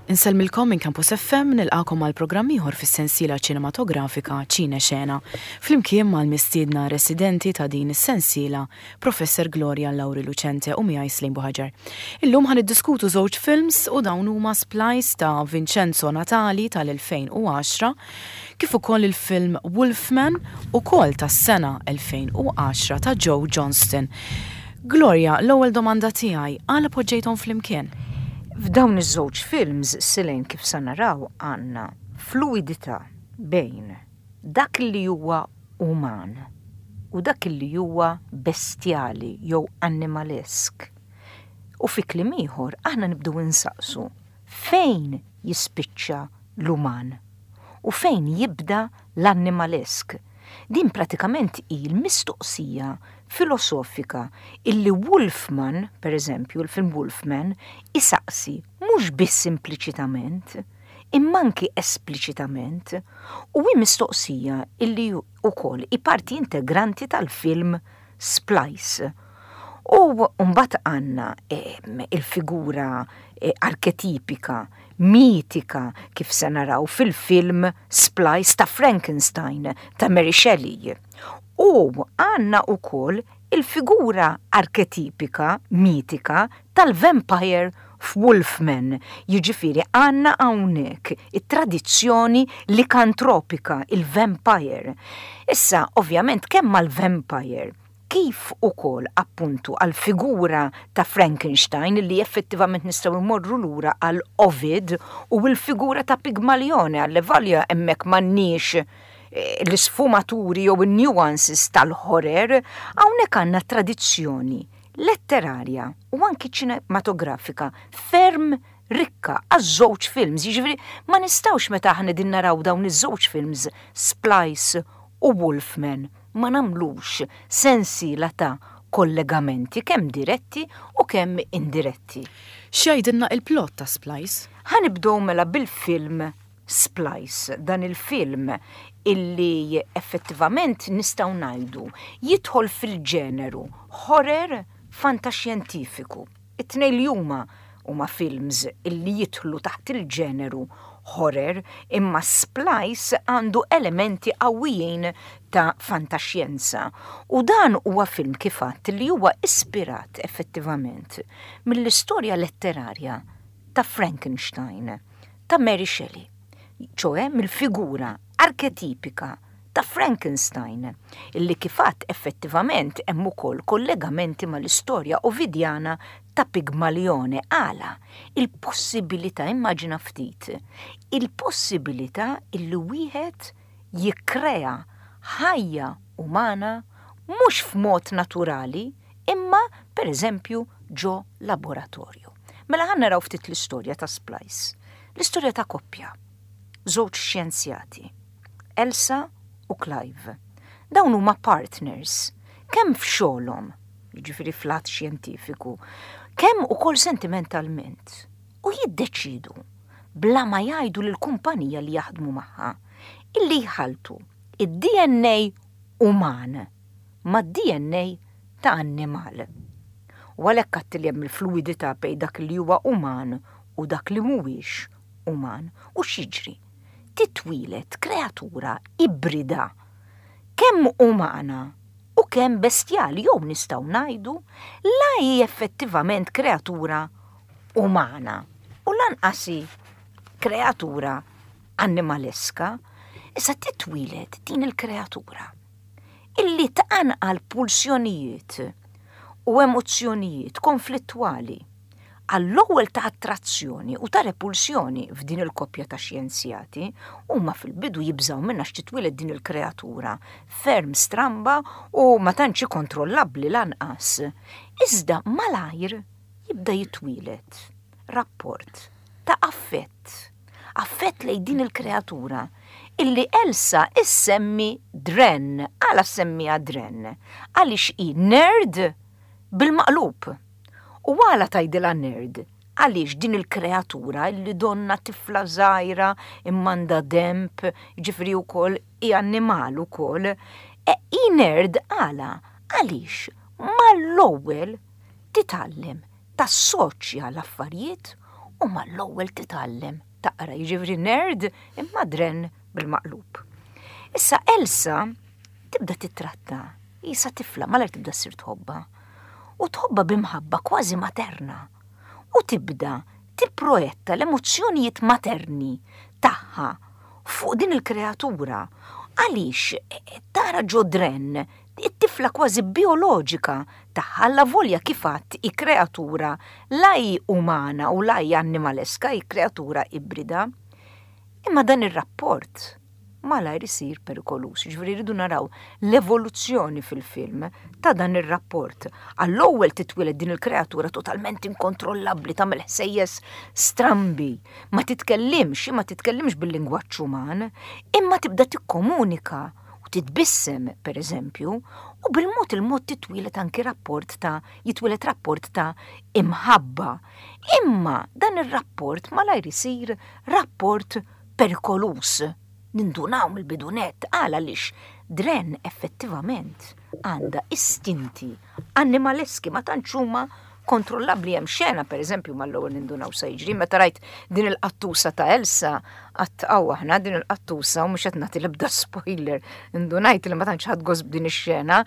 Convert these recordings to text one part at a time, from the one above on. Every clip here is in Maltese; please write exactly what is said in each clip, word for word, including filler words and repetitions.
Insellmilkom minn Campus F M, nilqagħkom għal programm ieħor fis-sensiela ċinematografika Ċine Xena. Flimkien mal-mistiedna residenti ta' din is-sensiela, Professor Gloria Lauri Lucente u miegħi Slim Buhaġar. Illum ħa niddiskutu żewġ films u dawn huma Splice ta' Vincenzo Natali tal-elfejn u għaxra kif ukoll il-film Wolfman, ukoll tas-sena elfejn u għaxra, ta' Joe Johnston. Gloria, l-ewwel domanda tiegħi, għala poġġejthom flimkien? F'dawn iż-żewġ films, Silejn, kif sa naraw, għandna fluidità bejn dak li huwa uman u dak li huwa bestjali jew animalesk. U fi kliem ieħor aħna nibdew insaqsu fejn jispiċċa l-uman u fejn jibda l-animalesk. Din pratikament hi l-mistoqsija filosofika illi Wolfman, per eżempju, il-film Wolfman, isaqsi mhux biss impliċitament, imma anki espliċitament, u hi mistoqsija illi ukoll hi parti integranti tal-film Splice. U mbagħad għandna il-figura eh, arketipika, mitika, kif se naraw fil-film Splice, ta' Frankenstein ta' Mary Shelley. U għandna ukoll il-figura arketipika, mitika tal-vampire f'Wolfman. Jiġifieri għandna hawnhekk it-tradizzjoni likantropika, il-vampire. Issa, ovvjament, kemm mal-vampire kif ukoll appuntu għal figura ta' Frankenstein, li effettivament nistgħu mmorru lura għal Ovid, u l-figura ta' Pigmalione, għal hemmhekk m'għandniex eh, l-isfumaturi jew il-nuances tal-horror, hawnhekk għandna tradizzjoni letterarja u anki ċinematografika ferm rikka għaż-żewġ films. Jiġifieri ma nistgħux, meta aħna din naraw dawn iż-żewġ films, Splice u Wolfman, ma nagħmlux sensiela ta' kollegamenti kemm diretti u kemm indiretti. X'jgħidilna il-plot ta' Splice? Ħa nibdew mela bil-film Splice, dan il-film illi effettivament nistgħu ngħidu jidħol fil-ġeneru horror fantaxjentifiku. It-tnejn li huma huma films illi jidħlu taħt il-ġeneru horror, imma Splice għandu elementi qawwijin ta' fantaxjenza. U dan huwa film, kif għedt, li huwa ispirat effettivament mill-istorja letterarja ta' Frankenstein ta' Mary Shelley, ċoè mill-figura arketipika ta' Frankenstein, illi kif għedt effettivament hemm ukoll kollegamenti mal-istorja ovidjana ta' Pigmalione. Għala il-possibilità, immaġina ftit, il-possibilità illi wieħed jikkrea ħajja umana mhux f'mod naturali, imma per eżempju ġo laboratorju. Mela ħa naraw ftit l-istorja ta' Splice. L-istorja ta' koppja, żewġ xjenzjati, Elsa u Clive. Dawn huma partners, kemm f'xogħolhom, jiġifieri fl-att xjentifiku, kemm ukoll sentimentalment. U jiddeċidu, bla ma jgħidu lill-kumpanija li jaħdmu magħha, illi jħaltu id-D N A uman ma' D N A ta' annimal. U għalhekk għedt li hemm il-fluidità bejn dak li huwa uman u dak li mhuwiex uman. U x'jiġri? Titwieled kreatura ibrida, kemm umana u kemm bestjali, jew nistgħu ngħidu la hi effettivament kreatura umana u lanqas hi kreatura animaleska. Issa titwieled din il-kreatura illi tqanqal pulsjonijiet u emozzjonijiet konflittwali, għall-ewwel ta' attrazzjoni u ta' repulsjoni f'din il-koppja ta' xjenzjati. Huma fil-bidu jibżaw minnha x'titwieled din il-kreatura ferm stramba u ma tantx kontrollabbli lanqas. Iżda malajr jibda jitwieled rapport ta' affett, affett lejn din il-kreatura illi Elsa issemmi Dren. Għala ssemmiha Dren? Għaliex hi nerd bil-maqlub. U għala tgħidilha nerd? Għaliex din il-kreatura illi donna tifla żgħira imma għandha denb, ġifieri wkoll hi annimal ukoll, e hi nerd għala? Għaliex mal-ewwel titgħallem tassoċja l-affarijiet U mal-ewwel titgħallem taqra, jiġifieri nerd imma Dren bil-maqlub. Issa Elsa tibda titratta, qisha tifla, malajr tibda ssir tħobbha. U tħobbha b'imħabba kważi materna. U tibda tipprojetta l-emozzjonijiet materni tagħha fuq din il-kreatura. Għaliex tara ġo Dren it-tifla kważi bioloġika tagħha, avolja kif għedt hi kreatura la hi umana u la hi animaleska, hi kreatura ibrida. Imma dan ir-rapport malajr isir perikoluż. Ġifieri rridu naraw l-evoluzzjoni fil-film ta' dan ir-rapport. Għall-ewwel titwieled din il-kreatura totalment inkontrollabbli, tagħmel ħsejjes strambi, ma titkellimx, ma titkellimx bil-lingwaġġ uman, imma tibda tikkomunika u titbissem, per eżempju, u bil-mod il-mod titwieled anki rapport ta' jitwieled rapport ta' imħabba. Imma dan ir-rapport malajr isir rapport perikoluż. Nindunaw mill-bidu nett għala għaliex Dren effettivament għandha istinti animaleski, ma tantx huma kontrollabbli. Hemm xena, per eżempju, mal-ewwel nindunaw se jiġri meta rajt din il-qattusa ta' Elsa, għedt aw aħna din il-qattusa, u mhux qed nagħti l-ebda spoiler, indunajt li ma tantx ħadt gost b'din ix-xena.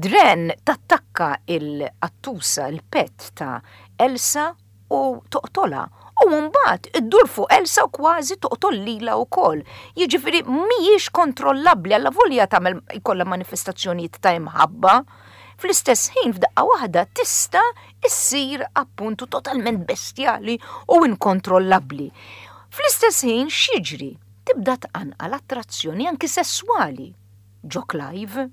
Dren tattakka il-qattusa, il-pet ta' Elsa, u toqtolha. U mbagħad iddur fuq Elsa u kważi toqtol lilha wkoll. Jiġifieri mhijiex kontrollabbli, avolja tagħmel ikollha manifestazzjonijiet ta' imħabba. Fl-istess ħin f'daqqa waħda tista' issir appuntu totalment bestjali u inkontrollabbli. Fl-istess ħin x'jiġri? Tibda tqanqal attrazzjoni anki sesswali ġo Clive.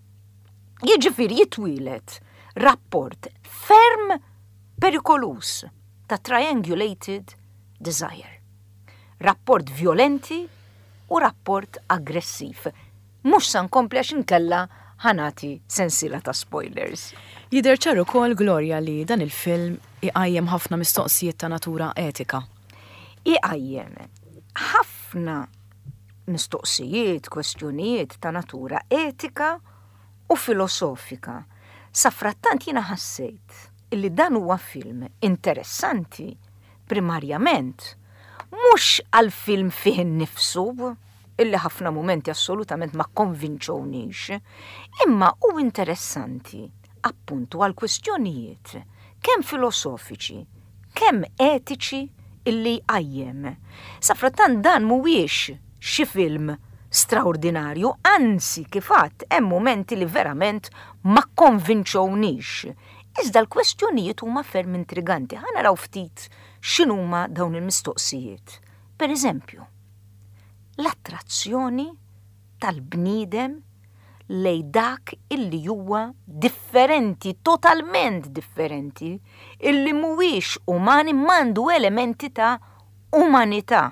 Jiġifieri jitwieled rapport ferm perikoluż ta' triangulated desire. Rapport violenti u rapport aggressiv. Mhux sa nkompli għax inkella ħa nagħti sensiela ta' spoilers. Jidher ċar ukoll, Gloria, li dan il-film iqajjem ħafna mistoqsijiet ta' natura etika. Iqajjem ħafna mistoqsijiet, kwestjonijiet ta' natura etika u filosofika. Safrattant jiena ħassejt illi dan huwa film interessanti primarjament mhux għal-film fih innifsu, illi ħafna momenti assolutament ma konvinċonix, imma hu interessanti appuntu għal kwestjonijiet kemm filosofiċi, kemm etiċi illi jqajjem. Safrattant dan mhuwiex xi film straordinarju, anzi, kif għedt, hemm momenti li verament ma konvinċonix. Iżda l-kwestjonijiet huma ferm intriganti. Ħa naraw ftit x'inhuma dawn il-mistoqsijiet. Per eżempju, l-attrazzjoni tal-bniedem lej dak illi huwa differenti, totalment differenti, illi mhuwiex umani, m'għandu elementi ta' umanità.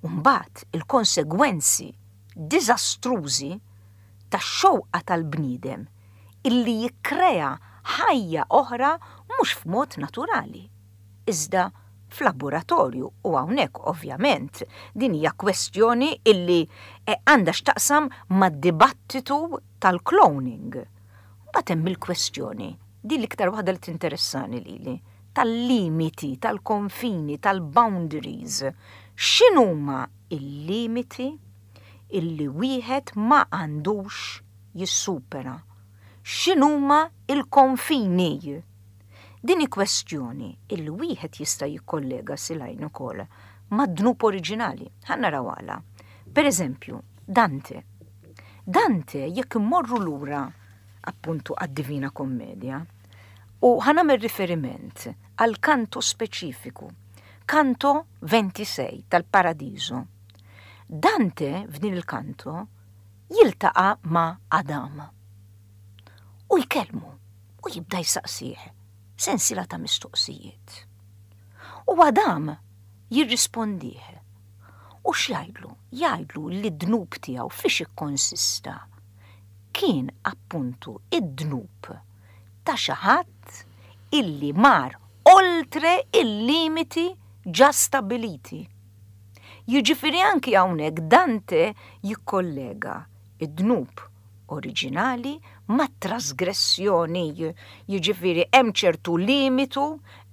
Umbagħad il-konsegwenzi diżastrużi tax-xewqa tal-bniedem illi jikkrea ħajja oħra mhux f'mod naturali, iżda f'laboratorju. U hawnhekk ovvjament din hija kwestjoni illi eh, għandha x'taqsam mad-dibattitu tal-cloning. Mbagħad hemm il-kwestjoni, din l-iktar waħda li tinteressani lili, tal-limiti, tal-konfini, tal-boundaries. X'inhuma il-limiti illi wieħed ma għandux jissupera? X'inhuma il-konfini? Din hi kwestjoni illi wieħed jista' jikkollega silajn ukoll mad-dnub oriġinali. Ħa naraw għala. Per eżempju, Dante. Dante, jekk immorru lura appuntu għad-Divina Kommedja, u ħa nagħmel riferiment għal kanto speċifiku, kanto ventisei tal-Paradiso. Dante f'din il-kanto jiltaqa' ma' Adam. U jkellmu u jibda jsaqsih sensiela ta' mistoqsijiet. U Adam jirrispondih. U x'jgħidlu? Jgħidlu li d-dnub tiegħu fiex ikkonsista. Kien appuntu id-dnub ta' xi ħadd illi mar oltre il-limiti ġa stabiliti. Jiġifieri anki hawnhekk Dante jikkollega id-dnub oriġinali ma' trasgressjoni. Jiġifieri hemm ċertu limitu,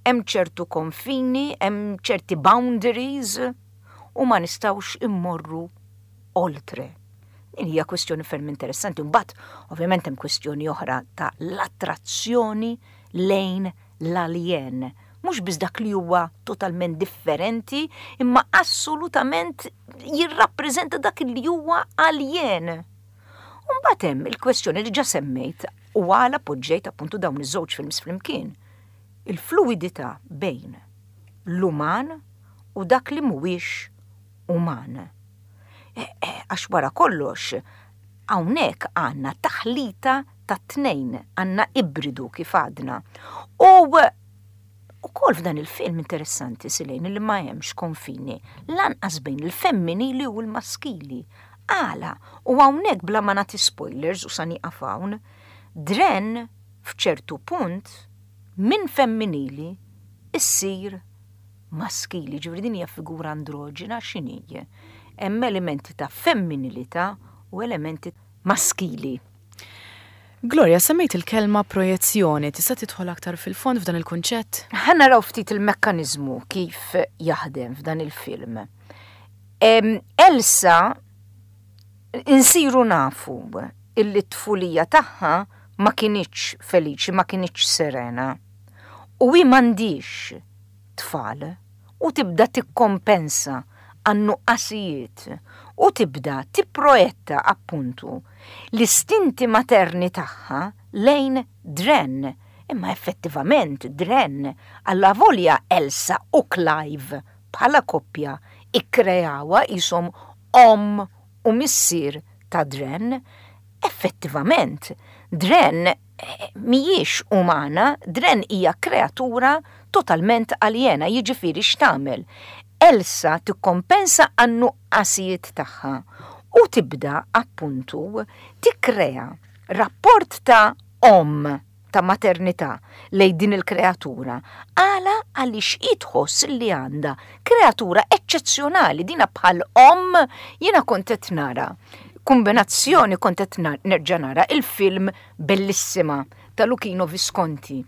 Hemm ċertu konfini, hemm ċerti boundaries u ma nistgħux immorru oltre. Din hija kwestjoni ferm interessanti. Mbagħad ovvjament hemm kwestjoni oħra ta' l-attrazzjoni lejn l-alien. Mhux biss dak li huwa totalment differenti, imma assolutament jirrappreżenta dak li huwa alien. Mbagħad hemm il-kwestjoni li ġa semmejt u għala poġġejt appuntu dawn iż-żewġ films flimkien. Il-fluidità bejn l-uman u dak li mhuwiex uman. E, e, għax wara kollox, hawnhekk għandna taħlita ta' tnejn, għandna ibridu kif għadna. U ukoll f'dan il-film interessanti, Silejn, li ma hemmx konfini, lanqas bejn il-femminili u l-maskili. Għala, u hawnhekk bla ma nagħti spoilers u sa nieqaf hawn, Dren f'ċertu punt minn femminili issir maskili, ġifieri din hija figura androġina. X'inhi? Hemm elementi ta' femminilità u elementi maskili. Gloria, semmejt il-kelma projezzjoni, tista' tidħol aktar fil-fond f'dan il-kunċett? Ħa naraw ftit il-mekkanizmu kif jaħdem f'dan il-film. Elsa insiru nafu illi t-tfulija tagħha ma kinitx feliċi, ma kinitx serena. U hi m'għandhiex tfal u tibda tikkompensa għan-nuqqasijiet u tibda tipproietta appuntu l-istinti materni tagħha lejn Dren. Imma effettivament Dren, allavolja Elsa u Clive bħala koppja ikkrejawa jisom omm u missier ta' Dren, effettivament Dren eh, mhijiex umana, Dren hija kreatura totalment aljena, jiġifieri x'tagħmel? Elsa tikkompensa għan-nuqqasijiet tagħha u tibda appuntu tikkrea rapport ta' omm, ta' maternità lejn din il-kreatura. Għala? Għaliex tħoss li għandha kreatura eċċezzjonali, dina bħal omm. Jiena kont qed nara kombinazzjoni, kont qed nerġa' nara il-film Bellissima ta' Luchino Visconti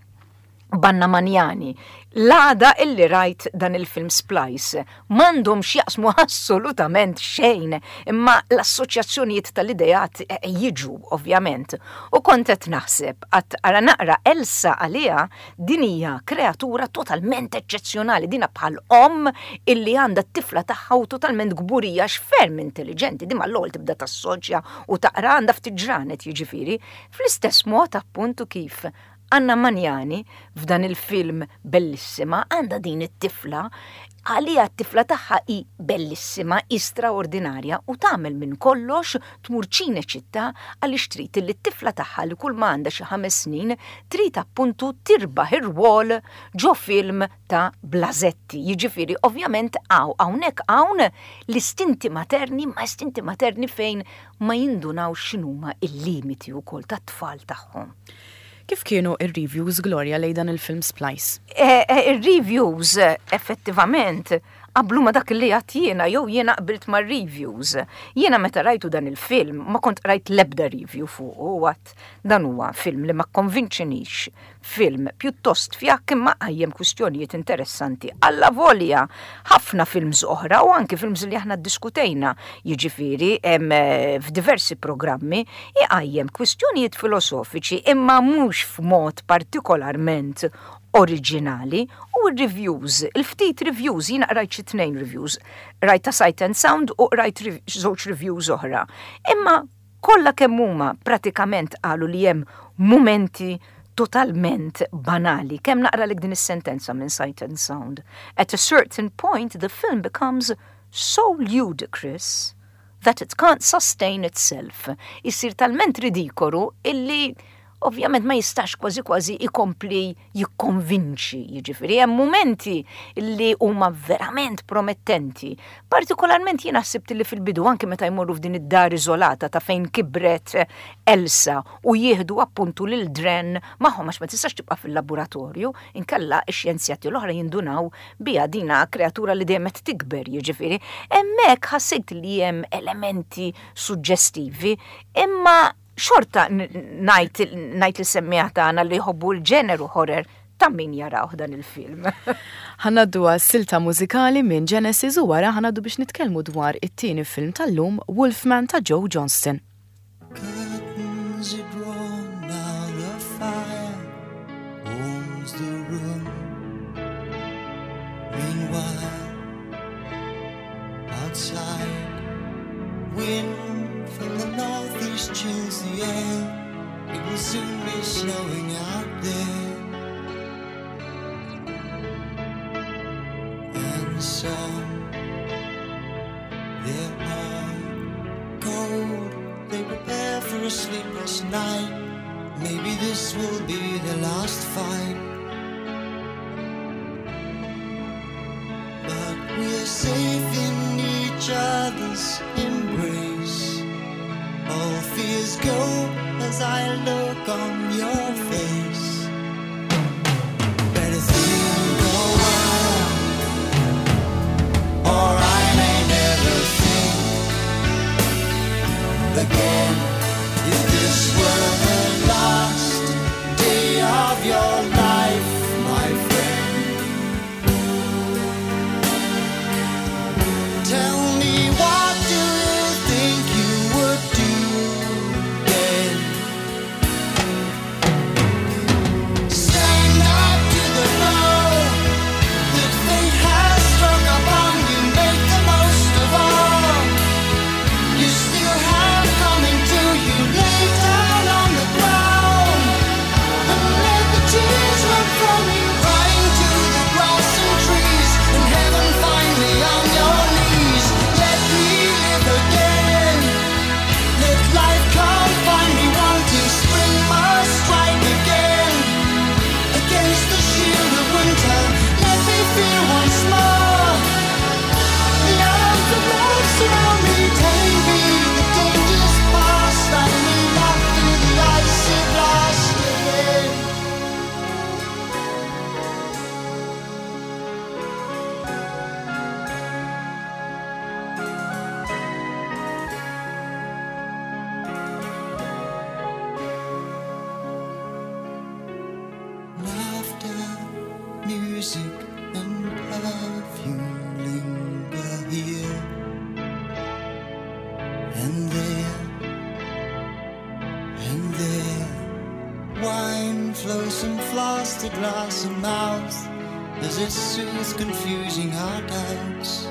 b'Anna Magnani. L-għada illi rajt dan il-film Splice, m'għandhom x'jaqsmu assolutament xejn, imma l-assoċjazzjonijiet tal-idejat eh, jiġu, ovvjament. U kont qed naħseb, għat ara naqra Elsa, għalija din hija kreatura totalment eċċezzjonali, dina bħal omm illi għandha t-tifla tagħha u totalment kburija x'ferm intelligenti, di mal-ewwel tibda tassoċja u taqra, għandha ftit ġranet jiġifieri. Fl-istess mod appuntu kif Anna Magnani f'dan il-film Bellissima għandha din it-tifla, għalija t-tifla tagħha hi bellissima, hi straordinarja u tagħmel minn kollox tmur Ċinecittà għaliex trid li t-tifla tagħha, li kull ma għandha xi ħames snin, trid appuntu tirbaħ ir-rwol ġo film ta' Blasetti. Jiġifieri ovvjament hawn hawnhekk hawn l-istinti materni, ma istinti materni fejn ma jindunaw x'inhuma il-limiti wkoll tat-tfal tagħhom. Kif kienu ir-reviews, Gloria, lejn dan il-film Splice? Eh, eh, Ir-reviews effettivament qablu ma dak li għedt jiena jew jiena qbilt ma' reviews. Jiena meta rajtu dan il-film ma kont rajt lebda review fuq u għedt dan huwa film li ma konvinċinix. Film pjuttost fjakk imma qajjem kwistjonijiet interessanti. Allavolja ħafna films oħra u anki films li aħna diskutejna, jiġifieri eh, f'diversi programmi, iqajjem kwistjonijiet filosofiċi imma mhux f'mod partikolarment oriġinali. U reviews, il-ftit reviews, jiena rajt xi tnejn reviews, rajt ta' Sight and Sound u rajt żewġ reviews oħra. Imma kollha kemm huma pratikament qalu li hemm momenti totalment banali. Kemm naqra din is-sentenza minn Sight and Sound? "At a certain point the film becomes so ludicrous that it can't sustain itself." Isir talment ridikolu illi ovvjament ma jistax kważi kważi ikompli jikkonvinċi, jiġifieri hemm momenti li huma verament promettenti. Partikolarment jiena ħsibt li fil-bidu, anke meta jmorru f'din id-dar iżolata ta' fejn kibret Elsa u jieħdu appuntu lil Dren magħhom għax ma tistax tibqa' fil-laboratorju, inkella x-xjenzjati l-oħra jindunaw bija dina kreatura li dejjem qed tikber, jiġifieri. Hemmhekk ħassejt li hemm elementi suġġestivi, imma xorta ngħid ngħid lis-semmiegħa tagħna li jħobbu l-ġeneru horror Ta' min jaraw dan il-film. Ħa ngħaddu silta mużikali minn Genesis u wara ħa ngħaddu biex nitkellmu dwar it-tieni film tal-lum, Wolfman ta' Joe Johnston. Curtains are drawn now, the fire warms the room. Meanwhile, outside, wind from the northeast chills the air. It will soon be snowing out there. And some, they're all cold. They prepare for a sleepless night. Maybe this will be the last fight. But we're safe in each other's embrace. All fears go as I look on your face. Better think a while, or I may never think again. If this were the last day of your life, my friend, tell me, what do you think you would do then? Stand up to the blow that fate has struck upon you. Make the most of all you still have coming to you. Lay down on the ground and let the tears run from you, crying to the grass and trees, and heaven find me on your knees. Let me live again. Let life come find me wanting. Spring must strike again against the shield of winter. Let me feel once more the arms of love surround me, telling me the danger's past. I may not feel the icy blast again. Laughter, music, and perfume linger here and there and there. Wine flows from flask to glass and mouth as it soothes confusing our doubts.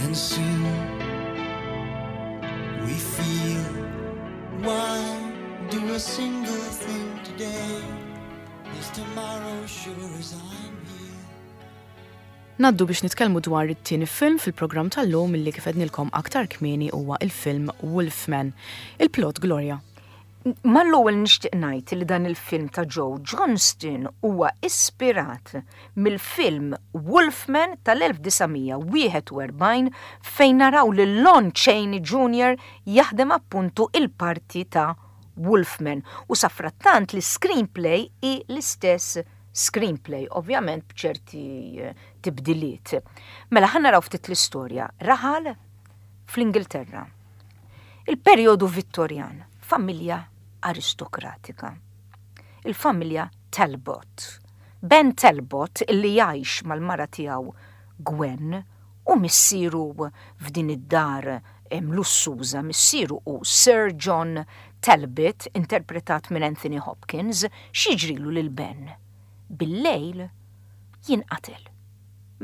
And soon we feel, why do a single thing today? Is tomorrow sure as I'm here? Ngħaddu biex nitkellmu dwar it-tieni film fil-programm tal-lum illi kif għednilkom aktar kmieni huwa il-film Wolfman. Il-plot, Gloria. Mal-ewwel nixtieq ngħid li dan il-film ta' Joe Johnston huwa ispirat mill-film Wolfman tal-elf disa' mija wieħed u erbgħin fejn naraw lil Lon Chaney Junior jaħdem appuntu il-parti ta' Wolfman, u safrattant l-screenplay hi l-istess screenplay, ovvjament b'ċerti eh, tibdiliet. Mela ħa naraw ftit l-istorja. Raħal fl-Ingilterra. Il-perjodu Vittorjan, familja aristokratika. Il-familja Talbot. Ben Talbot, illi jgħix mal-mara tiegħu Gwen u missieru f'din id-dar em, lussuża, missieru hu Sir John Talbot, interpretat minn Anthony Hopkins. X'jiġrilu lil Ben? Bil-lejl jinqatel.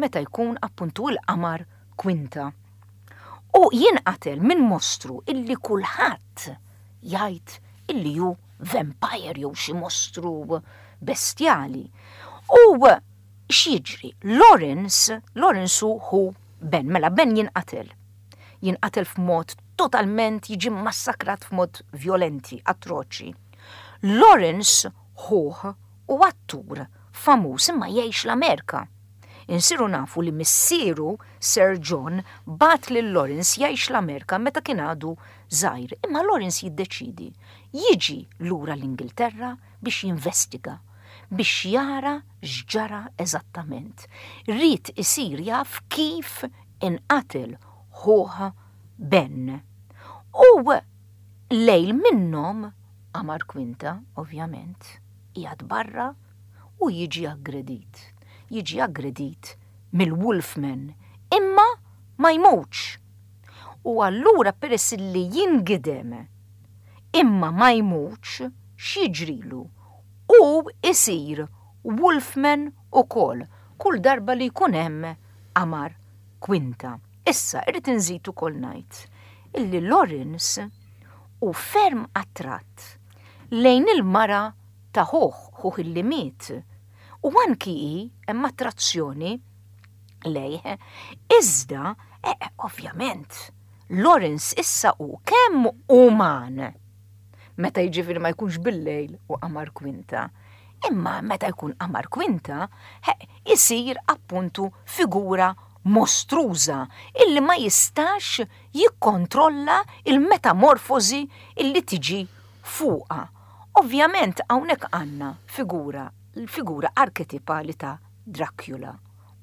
Meta jkun appuntu l-qamar kwinta. U jinqatel minn mostru illi kulħadd jgħid illi hu vampire jew xi mostru bestjali. U x'jiġri? Lawrence, Lawrence hu hu Ben, mela Ben jinqatel. Jinqatel f'mod totalment, jiġi massakrat f'mod violenti, atroċi. Lawrence ħuh hu attur famuż imma jgħix l-Amerika. Insiru nafu li missieru Sir John bagħat lil Lawrence jgħix l-Amerika meta kien għadu żgħir, imma Lawrence jiddeċidi jiġi lura l-Ingilterra biex jinvestiga, biex jara x'ġara eżattament. Ried isir jaf kif inqatel ħuh Ben. U lejl minnhom Qamar Kwinta, ovvjament, qiegħed barra u jiġi aggredit. Jiġi aggredit mill-Wolfman, imma ma jmutx. U allura, peress li jingidem imma ma jmutx, x'jiġrilu? U isir Wolfman ukoll kull darba li jkun hemm Qamar Kwinta. Issa, irrid inżid ukoll ngħid illi Lawrence hu ferm attratt lejn il-mara ta' ħuh, ħuh illi miet. U anki hi hemm attrazzjoni lejh. Iżda, eh, ovvjament, Lawrence issa hu kemm uman meta, jiġifieri, ma jkunx bil-lejl u Qamar Kwinta. Imma meta jkun Qamar Kwinta, isir appuntu figura mostruża illi ma jistax jikkontrolla il-metamorfosi illi tiġi fuqha. Ovvjament hawnhekk għandna figura, l-figura arketipali ta' Dracula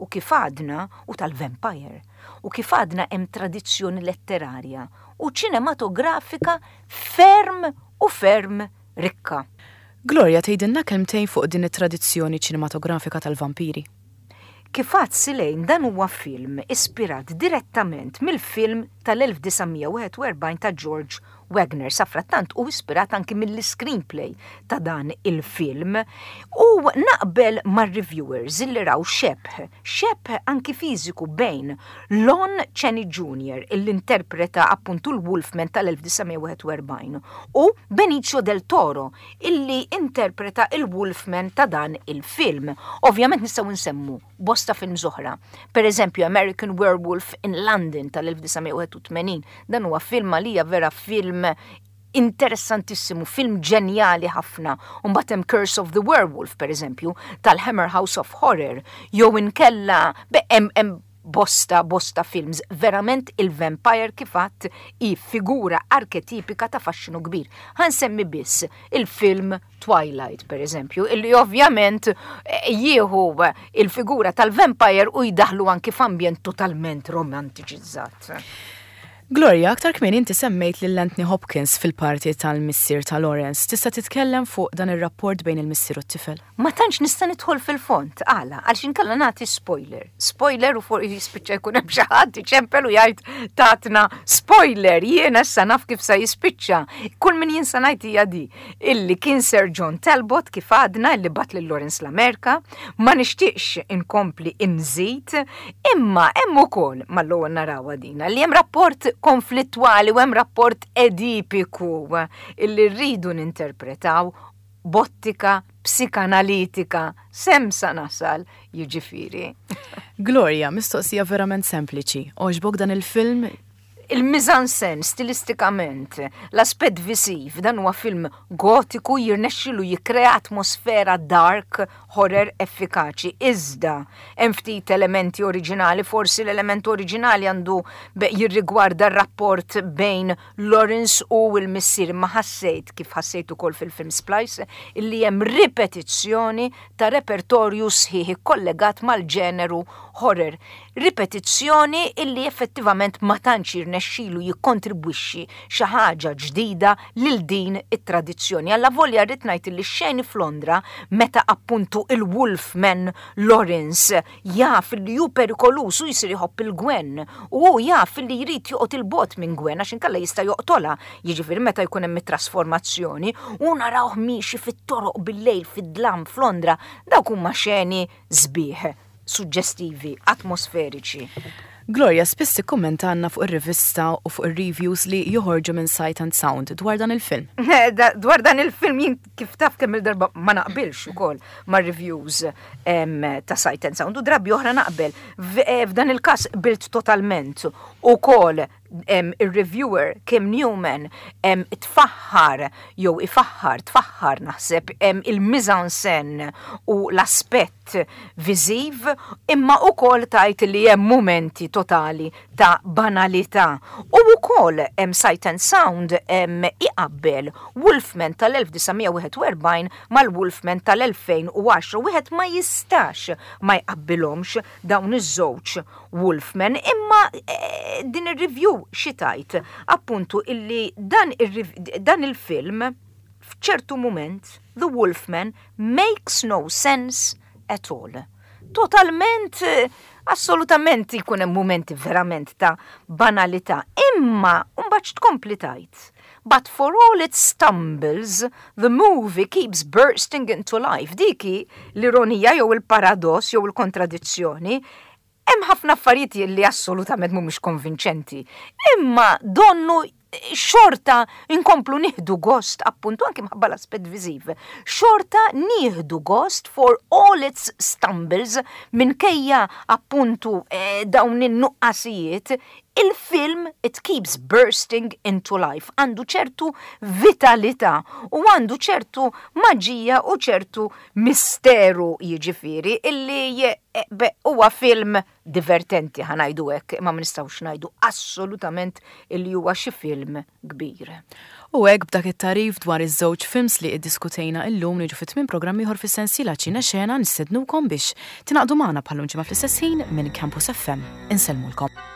u kif għadna u tal-vampire u kif għadna hemm tradizzjoni letterarja u ċinematografika ferm u ferm rikka. Gloria, tgħidilna kelmtejn fuq din it-tradizzjoni ċinematografika tal-vampiri? Kif għedt, Silejn, dan huwa film ispirat direttament mill-film tal-elf disa' mija u wieħed u erbgħin ta' George Wagner. Safrattant u ispirat anki mill-screenplay ta' dan il-film. U naqbel mar-reviewers illi raw xebh, xebh anki fiżiku bejn Lon Chaney Junior illi interpreta appuntu l-Wolfman tal-elf disa' mija u wieħed u erbgħin u Benicio del Toro illi interpreta il-Wolfman ta' dan il-film. Ovvjament nistgħu nsemmu bosta films oħra. Per eżempju, American Werewolf in London tal-elf disa' mija u wieħed u tmenin. Dan huwa film għalija vera film interessantissimu, film ġenjali ħafna. Mbagħad hemm Curse of the Werewolf, per eżempju, tal-Hammer House of Horror, jew inkella hemm bosta, bosta films. Verament il-vampire, kif għedt, hi figura arketipika ta' faxxinu kbir. Ħa nsemmi biss il-film Twilight, per eżempju, illi ovvjament eh, jieħu il-figura tal-vampire u jdaħlu anki f'ambjent totalment romantiċizzat. Gloria, aktar kmieni inti semmejt lil Anthony Hopkins fil-parti tal-missier ta' Lawrence. Tista' titkellem fuq dan ir-rapport bejn il-missier u t-tifel? Ma tantx nista' nidħol fil-fond, għala, għalx inkella nagħti spoiler. Spoiler u fuq jispiċċa jkun hemm xi ħadd iċempel u jgħid "Tatna spoiler, jiena issa naf kif sa jispiċċa." Kull min jinsa ngħid hija di illi kien Sir John Talbot, kif għadna, illi bagħat lil Lawrence l-Amerika, ma nixtieqx inkompli inżid, imma hemm ukoll mal-ewwel narawha dina li hemm rapport konflittwali u hemm rapport edipiku illi rridu ninterpretaw b'ottika psikanalitika s'hemm sa nasal, jiġifieri. Gloria, mistoqsija verament sempliċi. Għoġbok dan il-film? Il-mise-en-scène, stilistikament, l-aspett visiv, dan huwa film gotiku, jirnexxilu jikkrea atmosfera dark horror effikaċi. Iżda hemm ftit elementi oriġinali, forsi l-element oriġinali għandu jirrigwarda r-rapport bejn Lawrence u l-missier, ma ħassejt, kif ħassejt ukoll fil-film Splice, illi hemm ripetizzjoni ta' repertorju sħiħ kollegat mal-ġeneru horror. Ripetizzjoni illi effettivament ma tantx jirnexxilu jikkontribwixxi xi ħaġa ġdida lil din it-tradizzjoni. Alla volja rrid ngħid li xeni f'Londra meta appuntu il-Wolfman Lawrence jaf li hu perikoluż u jsir iħobb lil Gwen u hu jaf li jrid joqgħod 'il bogħod minn Gwen għax inkella jista' joqtolha, jiġifieri meta jkun hemm it-trasformazzjoni u narawh miexi fit-toroq bil-lejl fid-dlam f'Londra, dawk huma xeni sbieħ, suġġestivi, atmosferiċi. Gloria, spiss ikkummentanna fuq ir-rivista u fuq ir-reviews li joħorġu minn Sight and Sound dwar dan il-film. Dwar dan il-film jien, kif taf, kemm il-darba ma naqbilx ukoll ma' reviews ta' Sight and Sound u drabi oħra naqbel. Eh, f'dan il-każ qbilt totalment ukoll. Il-reviewer Kim Newman tfaħħar jew ifaħħar, tfaħħar naħseb, il-mise-en-scène u l-aspett viżiv, imma ukoll tgħid li hemm momenti totali ta' banalità. U ukoll hemm Sight and Sound iqabbel Wolfman tal-elf disa' mija u wieħed u erbgħin mal-Wolfman tal-elfejn u għaxra. Wieħed ma jistax ma jqabbilhomx dawn iż-żewġ Wolfman, imma eh, din ir-review xi tgħid appuntu illi dan, dan il-film F'ċertu moment, The Wolfman makes no sense at all. Totalment, eh, assolutament jkun hemm momenti verament ta' banalità, imma mbagħad tkompli tgħid. "But for all its stumbles, the movie keeps bursting into life." Dik hi l-ironija jew il-paradoss jew il-kontradizzjoni. Hemm ħafna affarijiet li assolutament mhumiex konvinċenti. Imma donnu xorta inkomplu nieħdu gost, appuntu anki minħabba l-aspett viżiv. Xorta nieħdu gost for all its stumbles, minkejja appuntu eh, dawn in-nuqqasijiet, il-film it keeps bursting into life. Għandu ċertu vitalità u għandu ċertu maġija u ċertu misteru, jiġifieri illi eh, huwa film divertenti, ħa ngħidu hekk, imma ma nistgħux ngħidu assolutament illi huwa xi film kbir. U hekk, b'dak it-tagħrif dwar iż-żewġ films li iddiskutejna illum, niġu fi tmiem programm ieħor fis-sensiela Ċine Xena. Nistednukom biex tingħaqdu magħna bħal ġimgħa fl-istess ħin minn Campus F M. Insellmulkom.